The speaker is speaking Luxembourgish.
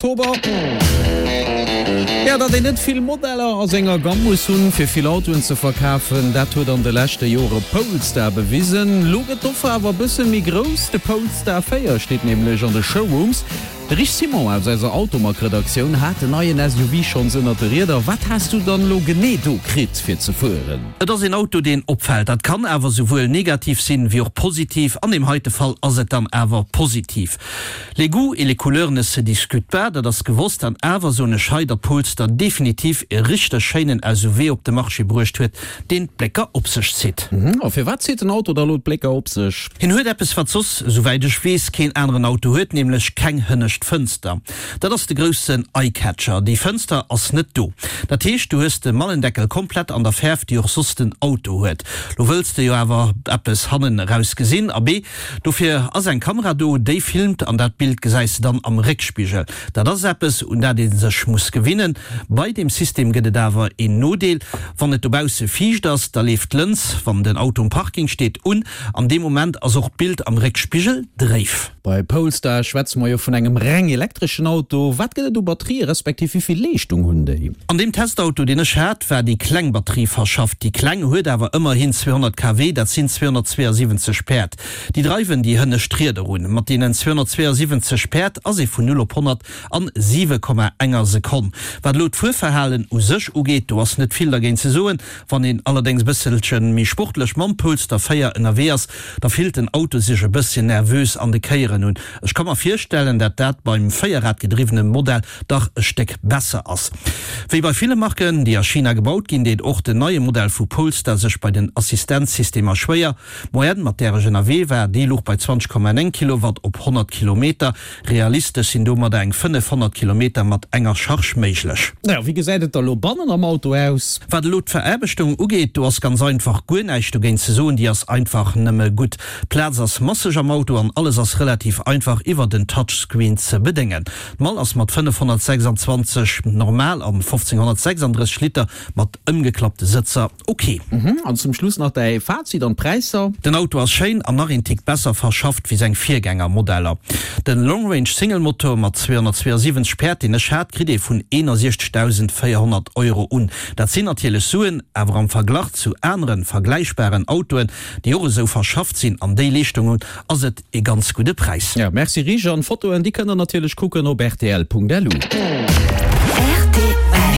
Oktober. Jo, datt een net vill Modeller a senger Gamm muss hunn, fir vill Autoen ze verkafen, dat huet an de leschte Jore Polestar bewisen. Lo gëtt d'Offer awer e bësse méi grouss, de Polestar 4 steet nämlech an de Showrooms. De Rich Simon aus eiser Automag-Redaktioun hat den neien SUV schonns ënnert de Rieder. Wat has du dann elo genee do kritt fir ze fueren? Et ass een Auto deen opfält. Dat kann awer souwuel negativ sinn wéi och positiv. An deem heite Fall ass et dann awer positiv. Les goûts et les couleurs ne se discutent pas, dat ass gewosst. An awer soen ech hei, datt Polestar definitiv e richteg schéinen SUV op de Marché bruecht huet, deen d'Blécker op sech zitt. A firwat zitt den Auto da lo d'Blécker op sech? Hien huet eppes, wat soss, esouwäit ech weess, keen aneren Auto huet, nämlech keng hënnescht Fënster. Dat ass de groussen Eye-Catcher. Déi Fënster ass net do. Dat heescht, du hues de Mallendeckel komplett an der Fäerf, déi och soss den Auto huet. Lo wëlls de jo awer eppes hannen eraus gesinn. Abee, Dofir ass eng Kamera do, déi filmt an dat Bild gesäis de dann am Réckspigel. Dat ass eppes, un dat ee sech muss gewinnen. Bei deem System gëtt et awer een Nodeel, Wann et dobausse fiicht ass, da leeft d'Lëns, wann den Auto um Parking steet, un. An deem Moment ass och d'Bild am Réckspigel dréif. Bei Polestar schwätze mer jo vun engem reng elektreschen Auto. Wat gëtt et u Batterië respektiv wéi vill Leeschtung hunn déi? An deem Testauto, deen ech hat, war déi kleng Batterie verschafft. Déi kleng huet awer ëmmerhin 200 kW, dat sinn 272 Päerd. Déi dreiwen déi hënnescht Rieder un. Mat deenen 272 Päerd ass ee vun 0 op 100 an 7,enger Sekonn. Wat elo d'Fuerverhalen u sech ugeet, do ass net vill dergéint ze soen. Wann een allerdéngs e bësselche méi sportlech mam Polestar 4 ënnerwee ass, da fillt den Auto sech e bësschen nervös an de Kéieren un. Ech ka mer virstellen, dat dat beim véierradgedriwwene Modell dach e Stéck besser ass. Wéi bei ville Marken, déi a China gebaut ginn, deet och den neie Modell vu Polestar sech bei den Assistenzsystemer schwéier. D'Moyenne, mat där ech ënnerwee war, déi louch bei 20,9 Kilowatt op 100 Kilometer. Realistesch sinn domadder eng 500 Kilometer mat enger Charge méiglech. Naja, wéi gesäit et da lo bannen am Auto aus? Wat elo d'Veraarbechtung ugeet, do ass ganz einfach guer näischt dogéint ze soen, déi ass einfach nëmme gutt. D'Plaz ass masseg am Auto an alles ass relativ einfach iwwer den Touchscreen ze bedéngen. D'Mall ass mat 526 normal an 1536 Liter mat ëmgeklappte Sëtzer ok. An zum Schluss nach däi Fazit an d'Präisser. Den Auto ass schéin an nach een Tick besser verschafft wéi seng Virgängermodeller. Den Long Range Single Motor mat 272 Päerd deen ech hat kritt ee vun 61.400 Euro un. Dat sinn natierlech Suen, awer am Verglach zu aneren vergläichbaren Autoen déi och esou verschafft sinn an déi Leeschtung hunn, ass et ee ganz gudde Präis. Ja, merci Rich, an d'Fotoen déi kënnt der natierlech kucken op rtl.lu.